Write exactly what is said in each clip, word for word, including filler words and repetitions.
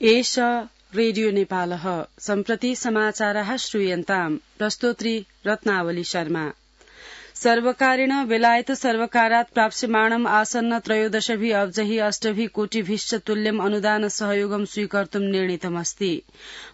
एष रेडियो नेपालः सम्प्रति समाचारः श्रूयन्ताम् प्रस्तोत्री रत्नावली शर्मा। सर्वकारेण बेलायत सर्वकारात् प्राप्स्यमाणम् आसन्न त्रयोदशभिः अब्जहि अष्टभिः कोटिभिश्च तुल्यम् अनुदान सहयोगं स्वीकर्तुम् निर्णीतमस्ति।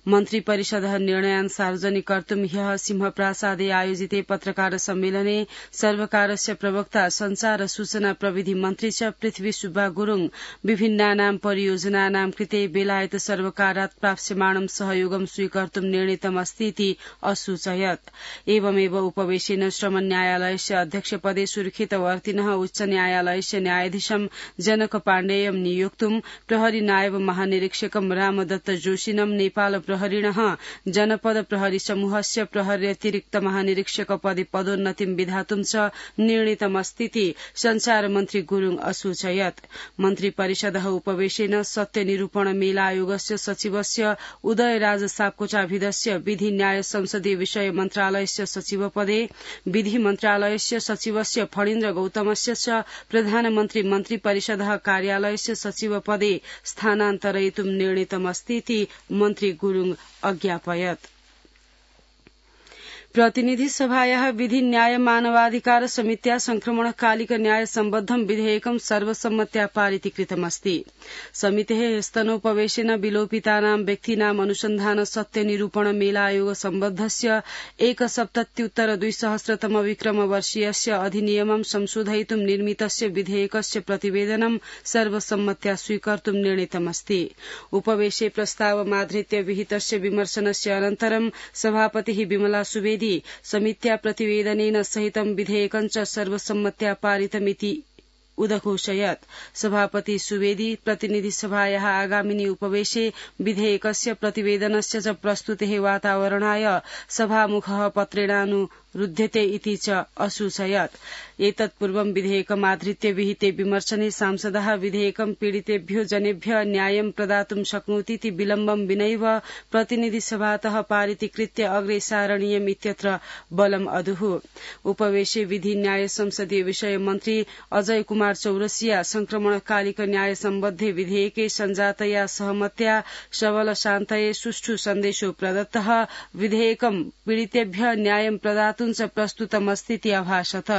मन्त्री परिषदः निर्णयान् सार्वजनिकर्तुम् ह्यः सिंहप्रासादे आयोजिते पत्रकार सम्मेलने सर्वकारस्य प्रवक्ता संचार सूचना प्रविधि मन्त्री च पृथ्वी सुब्बा गुरुङ विभिन्नानां परियोजनानां कृते बेलायत सर्वकारात् प्राप्स्यमाणं सहयोगं स्वीकर्तुम् निर्णीतमस्तीति असूचयत्। एवमेव उपवेशेन श्रम न्यायालय अध्यक्ष पदे सुरक्षितवर्तिनः उच्च न्यायालयस्य न्यायाधीशं जनक पाण्डेयं नियोक्तुम् प्रहरी नायब महानिरीक्षकं रामदत्त जोशिनं नेपाल प्रहरिणः जनपद प्रहरी समूहस्य प्रहर्यतिरिक्त महानिरीक्षक पदे पदोन्नतिं विधातुं च निर्णीतमस्तीति संचार मन्त्री गुरुङ असूचयत्। मन्त्री परिषदः उपवेशेन सत्य निरूपण मेला आयोगस्य सचिवस्य उदयराज सापकोटाभिधस्य विधि न्याय संसदीय विषय मन्त्रालयस्य सचिव पदे विधि मन्त्रालयस्य सचिवस्य फणीन्द्र गौतमस्य च प्रधानमन्त्री मन्त्री परिषदः कार्यालयस्य सचिव पदे स्थानान्तरयितुं निर्णीतमस्तीति मन्त्री गुरुङ अज्ञापयत्। प्रतिनिधि सभायाः विधि न्याय मानवाधिकार समित्या संक्रमणकालिक न्याय सम्बद्धं विधेयकं सर्वसम्मत्या पारितीकृतमस्ति। समितेः स्तनोपवेशेन विलोपितानां व्यक्तीनाम् अनुसन्धान सत्य निरूपण मेला आयोग सम्बद्धस्य एकसप्तत्युत्तर द्विसहस्रतम विक्रम वर्षीयस्य अधिनियमं संशोधयितुं निर्मितस्य विधेयकस्य प्रतिवेदनं सर्वसम्मत्या स्वीकर्तुं निर्णीतमस्ति। उपवेशे प्रस्तावमाधृत्य विहितस्य विमर्शनस्य अनन्तरं सभापतिः विमला सुवेदी समित्या प्रतिवेदनेन सहितं विधेयकं च सर्वसम्मत्या पारितमिति उदघोषयत्। सभापति सुवेदी प्रतिनिधि सभायाः आगामिनि उपवेशे विधेयकस्य प्रतिवेदनस्य च प्रस्तुतेः वातावरणाय सभामुखः पत्रेणानुरुध्यते इति च असूचयत्। एतत्पूर्वं विधेयकमाधृत्य विहिते विमर्शने सांसदः विधेयकं पीडितेभ्यो जनेभ्य न्यायं प्रदातुं शक्नोतीति विलम्बं विनैव प्रतिनिधि सभातः पारितीकृत्य अग्रे सारणीयम् इत्यत्र बलम् अदुः। उपवेशे विधि न्याय संसदीय विषय मन्त्री अजय कुमार चौरसिया संक्रमणकालिक न्याय सम्बद्धे विधेयके संजातया सहमत्या सबल शान्तये सुष्ठु सन्देशो प्रदत्तः विधेयकं पीडितेभ्य न्यायं प्रदातुं च प्रस्तुतमस्तीति अभाषत।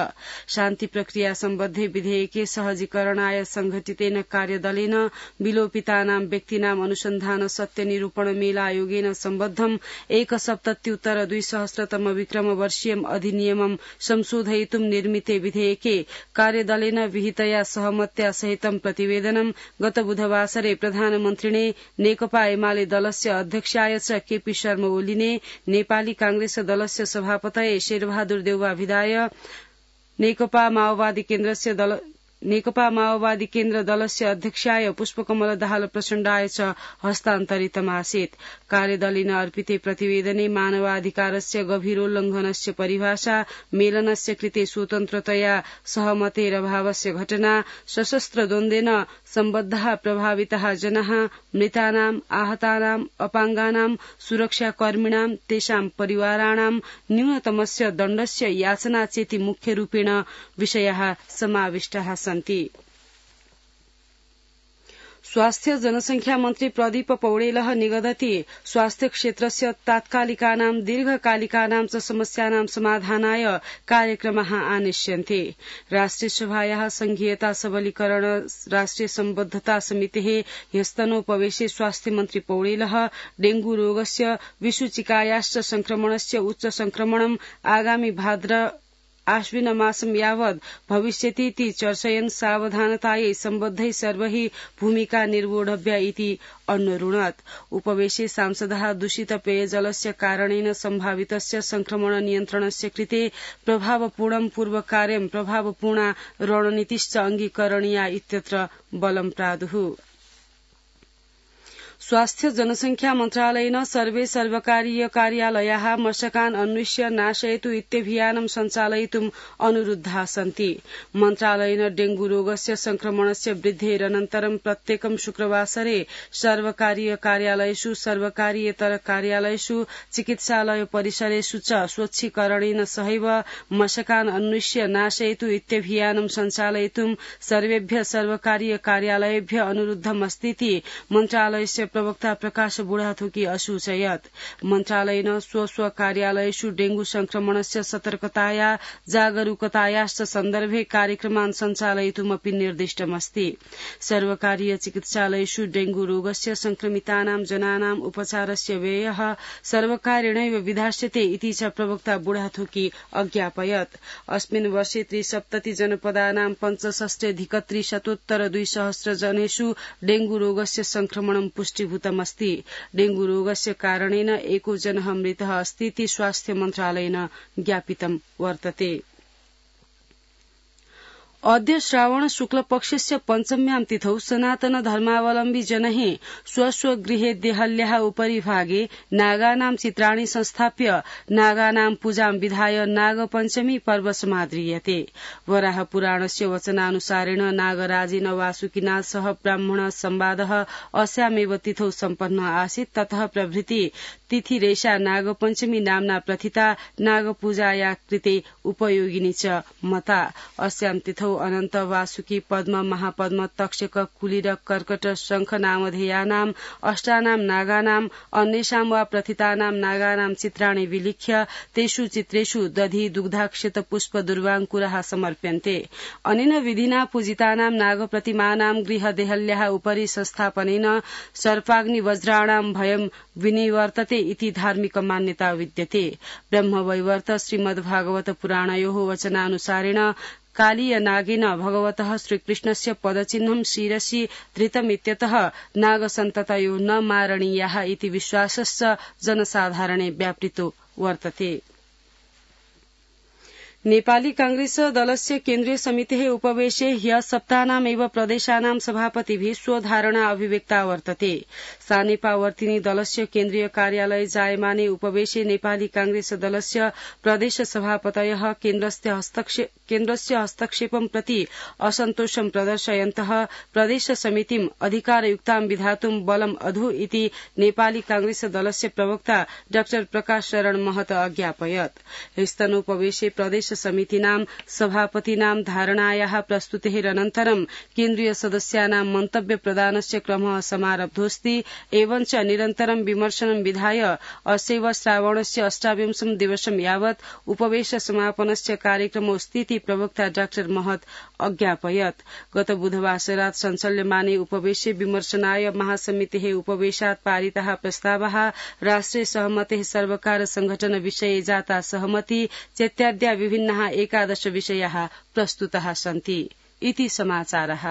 शान्ति प्रक्रिया सम्बद्धे विधेयके सहजीकरणाय संघटितेन कार्यदलेन विलोपितानां व्यक्तीनाम् अनुसन्धान सत्य निरूपण मेला आयोगेन सम्बद्धम् एकसप्तत्युत्तर द्विसहस्रतम विक्रम वर्षीयम् अधिनियमं संशोधयितुं निर्मिते विधेयके कार्यदलेन विहितया सहमत्या सहितं प्रतिवेदनं गत बुधवासरे प्रधानमन्त्रिणे नेकपा एमाले दलस्य अध्यक्षाय च केपी शर्मा ओलीने नेपाली कांग्रेस दलस्य सभापतये शेरबहादुर देउवा भिदाय नेकपा माओवादी केन्द्रस्य दल नेकपा माओवादी केन्द्र दलस्य अध्यक्षाय पुष्पकमल दाहाल प्रचण्डाय च हस्तान्तरितमासीत्। कार्यदलेन अर्पिते प्रतिवेदने मानवाधिकारस्य गभीरोल्लङ्घनस्य परिभाषा मेलनस्य कृते स्वतन्त्रतया सहमतेरभावस्य घटना सशस्त्र द्वन्द्वेन सम्बद्धाः प्रभाविताः जनाः मृतानां आहतानां अपाङ्गानां सुरक्षाकर्मिणां तेषां परिवाराणां न्यूनतमस्य दण्डस्य याचना चेति मुख्यरूपेण विषयाः समाविष्टाः सन्ति। स्वास्थ्य जनसंख्या मन्त्री प्रदीप पौडेलः निगदति स्वास्थ्य क्षेत्रस्य तात्कालिकानां दीर्घकालिकानां च समस्यानां समाधानाय कार्यक्रमाः आनेष्यन्ते। राष्ट्रिय सभायाः संघीयता सबलीकरण राष्ट्रिय सम्बद्धता समितेः ह्यस्तनोपवेशे स्वास्थ्य मन्त्री पौडेलः डेंगू रोगस्य विषुचिकायाश्च संक्रमणस्य उच्च संक्रमणम् आगामि भाद्र आश्विन मासं यावत् भविष्यतीति चर्चयन् सावधानतायै सम्बद्धै सर्वैः भूमिका निर्वोढव्या इति अन्वरुणत्। उपवेशे सांसदः दूषित पेयजलस्य कारणेन सम्भावितस्य संक्रमण नियन्त्रणस्य कृते प्रभावपूर्णं पूर्वकार्यं प्रभावपूर्णा रणनीतिश्च अङ्गीकरणीया इत्यत्र बलं प्रादुः। स्वास्थ्य जनसंख्या मन्त्रालयेन सर्वे सर्वकारीय कार्यालयाः मशकान् अन्विष्य नाशयतु इत्यभियानं सञ्चालयितुम् अनुरुद्धाः सन्ति। मन्त्रालयेन डेंगू रोगस्य संक्रमणस्य वृद्धेरनन्तरं प्रत्येकं शुक्रवासरे सर्वकारीय कार्यालयेषु सर्वकारीयतर कार्यालयेषु चिकित्सालय परिसरेषु च स्वच्छीकरणेन सहैव मशकान् अन्विष्य नाशयतु इत्यभियानं सञ्चालयितुं सर्वेभ्य सर्वकारीय कार्यालयेभ्य अनुरुद्धमस्तीति मन्त्रालयस्य प्रवक्ता प्रकाश बुढाथोकी असूचयत् मन्त्रालयेन स्व स्व कार्यालयेषु डेंगू संक्रमणस्य सतर्कताया जागरूकतायाश्च सन्दर्भे कार्यक्रमान् सञ्चालयितुमपि निर्दिष्टमस्ति। सर्वकारीय चिकित्सालयेषु डेंगू रोगस्य संक्रमितानां जनानाम् उपचारस्य व्ययः सर्वकारेणैव विधास्यते इति च प्रवक्ता बुढाथोकी अज्ञापयत्। अस्मिन् वर्षे त्रिसप्तति जनपदानां पञ्चषष्ट्यधिकत्रिशतोत्तर द्विसहस्र जनेषु डेंगू रोगस्य संक्रमणं पुष्टीभूतमस्ति। डेंगू रोगस्य कारणेन एको जनः मृतः अस्ति इति स्वास्थ्य मन्त्रालयेन ज्ञापितं वर्तते। अद्य श्रावण शुक्ल पक्षस्य पञ्चम्यां तिथौ सनातन धर्मावलम्बी जनैः स्वस्व गृहे देहल्याः उपरि भागे नागानां चित्राणि संस्थाप्य नागानां पूजां विधाय नागपञ्चमी पर्व समाद्रियते। वराह पुराणस्य वचनानुसारेण नागराजेन वासुकिना सह ब्राह्मण संवादः अस्यामेव तिथौ सम्पन्न आसीत्। ततः प्रभृति तिथिरेषा नागपञ्चमी नाम्ना प्रथिता नागपूजाया कृते उपयोगिनी च मता। अस्यां तिथौ अनन्त वासुकी पद्म महापद्म तक्षक कुली र कर्कट शंख नामधेयानाम् अष्टानां नागानाम् अन्येषां वा प्रथितानां नागानां चित्राणि विलिख्य तेषु चित्रेषु दधि दुग्धाक्षत पुष्प दुर्वाङ्कुराः समर्प्यन्ते। अनेन विधिना पूजितानां नागप्रतिमानां गृहदेहल्याः उपरि संस्थापनेन सर्पाग्नि वज्राणां भयं विनिवर्तते इति धार्मिक मान्यता विद्यते। ब्रह्मवैवर्त श्रीमद्भागवत पुराणयोः वचनानुसारेण कालीय नागेन भगवतः श्रीकृष्णस्य पदचिह्नं शिरसि धृतमित्यतः नागसन्ततयो न मारणीयाः इति विश्वासश्च जनसाधारणे व्यापृतो वर्तते। नेपाली कांग्रेस दलस्य केन्द्रीय समितेः उपवेशे ह्य सप्ताहनामेव प्रदेशानां सभापतिभिः स्वधारणा अभिव्यक्ता वर्तते। सानेपावर्तिनी दलस्य केन्द्रीय कार्यालये जायमाने उपवेशे नेपाली कांग्रेस दलस्य प्रदेश सभापतयः केन्द्रस्य हस्तक्षेपं प्रति असन्तोषं प्रदर्शयन्तः प्रदेश समितिम् अधिकारयुक्तां विधातुं बलम् अधु इति नेपाली कांग्रेस दलस्य प्रवक्ता डाक्टर प्रकाश शरण महत अज्ञापयत्। ह्यस्तनोपवेशे प्रदेश समितिनां सभापतीनां धारणायाः प्रस्तुतेरनन्तरं केन्द्रीय सदस्यानां मन्तव्य प्रदानस्य क्रमः समारब्धोऽस्ति। एवञ्च निरन्तरं विमर्शनं विधाय अस्यैव श्रावणस्य अष्टाविंशं दिवसं यावत् उपवेश समापनस्य कार्यक्रमोऽस्ति इति प्रवक्ता डाक्टर महत अज्ञापयत्। गत बुधवासरात् सञ्चाल्यमाने उपवेशे विमर्शनाय महासमितेः उपवेशात् पारिताः प्रस्तावाः राष्ट्रिय सहमतेः सर्वकार संघटन विषये जाता सहमति चेत्याद्या विभिन्नाः एकादश विषयाः प्रस्तुताः सन्ति इति समाचारः।